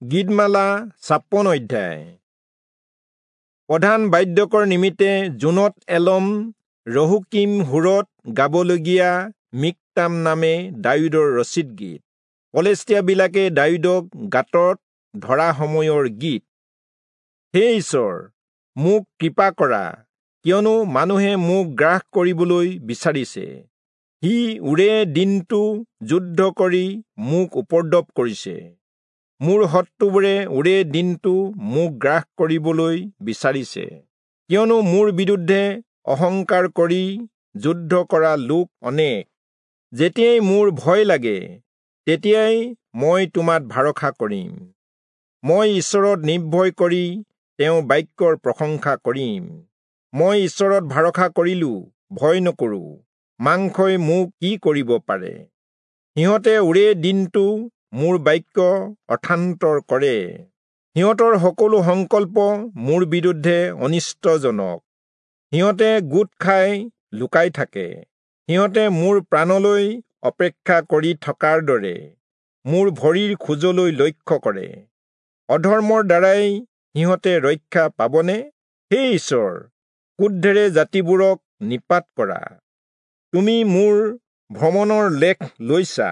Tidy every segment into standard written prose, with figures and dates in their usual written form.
গীতমালা ৫৬ অধ্যায়। প্ৰধান বাদ্যকৰ নিমিত্তে জোনত এলম ৰহুকিম সুৰত গাবলগীয়া মিক্তাম নামে দায়ূদৰ ৰচিত গীত। পলেষ্টীয়াবিলাকে দায়ূদক গাঁতত ধৰা সময়ৰ গীত। হে ঈশ্বৰ, মোক কৃপা কৰা, কিয়নো মানুহে মোক গ্ৰাস কৰিবলৈ বিচাৰিছে। সি ওৰে দিনটো যুদ্ধ কৰি মোক উপদ্ৰৱ কৰিছে। মোৰ শত্ৰুবোৰে ওৰে দিনটো মোক গ্ৰাস কৰিবলৈ বিচাৰিছে, কিয়নো মোৰ বিৰুদ্ধে অহংকাৰ কৰি যুদ্ধ কৰা লোক অনেক। যেতিয়াই মোৰ ভয় লাগে, তেতিয়াই মই তোমাত ভৰসা কৰিম। মই ঈশ্বৰত নিৰ্ভয় কৰি তেওঁৰ বাক্যৰ প্ৰশংসা কৰিম। মই ঈশ্বৰত ভৰসা কৰিলো, ভয় নকৰোঁ। মাংসই মোক কি কৰিব পাৰে? সিহঁতে ওৰে দিনটো মোৰ বাক্য অৰ্থান্তৰ কৰে। সিহঁতৰ সকলো সংকল্প মোৰ বিৰুদ্ধে অনিষ্টজনক। সিহঁতে গোট খাই লুকাই থাকে। সিহঁতে মোৰ প্ৰাণলৈ অপেক্ষা কৰি থকাৰ দৰে মোৰ ভৰিৰ খোজলৈ লক্ষ্য কৰে। অধৰ্মৰ দ্বাৰাই সিহঁতে ৰক্ষা পাবনে? হে ঈশ্বৰ, ক্ৰোধেৰে জাতিবোৰক নিপাত কৰা। তুমি মোৰ ভ্ৰমণৰ লেখ লৈছা।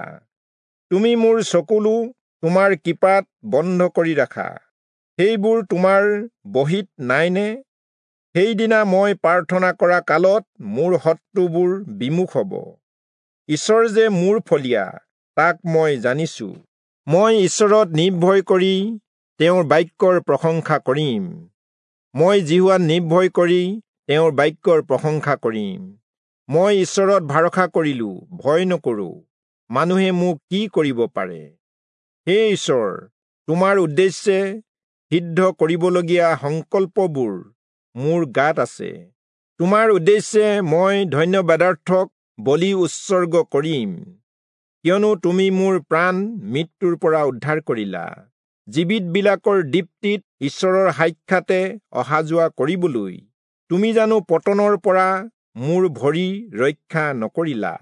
তুমি মোৰ চকুলো তোমাৰ কৃপাত বন্ধ কৰি ৰাখা। সেইবোৰ তোমাৰ বহীত নাইনে? সেইদিনা মই প্ৰাৰ্থনা কৰা কালত মোৰ শত্ৰুবোৰ বিমুখ হ'ব। ঈশ্বৰ যে মোৰ ফলীয়া, তাক মই জানিছো। মই ঈশ্বৰত নিৰ্ভয় কৰি তেওঁৰ বাক্যৰ প্ৰশংসা কৰিম। মই যিহোৱাত নিৰ্ভয় কৰি তেওঁৰ বাক্যৰ প্ৰশংসা কৰিম। মই ঈশ্বৰত ভৰসা কৰিলো, ভয় নকৰোঁ। মানুহে মোক কি কৰিব পাৰে? হে ঈশ্বৰ, তোমাৰ উদ্দেশ্যে সিদ্ধ কৰিবলগীয়া সংকল্পবোৰ মোৰ গাত আছে। তোমাৰ উদ্দেশ্যে মই ধন্যবাদাৰ্থক বলি উৎসৰ্গ কৰিম, কিয়নো তুমি মোৰ প্ৰাণ মৃত্যুৰ পৰা উদ্ধাৰ কৰিলা। জীৱিতবিলাকৰ দীপ্তিত ঈশ্বৰৰ সাক্ষাতে অহা যোৱা কৰিবলৈ তুমি জানো পতনৰ পৰা মোৰ ভৰি ৰক্ষা নকৰিলা?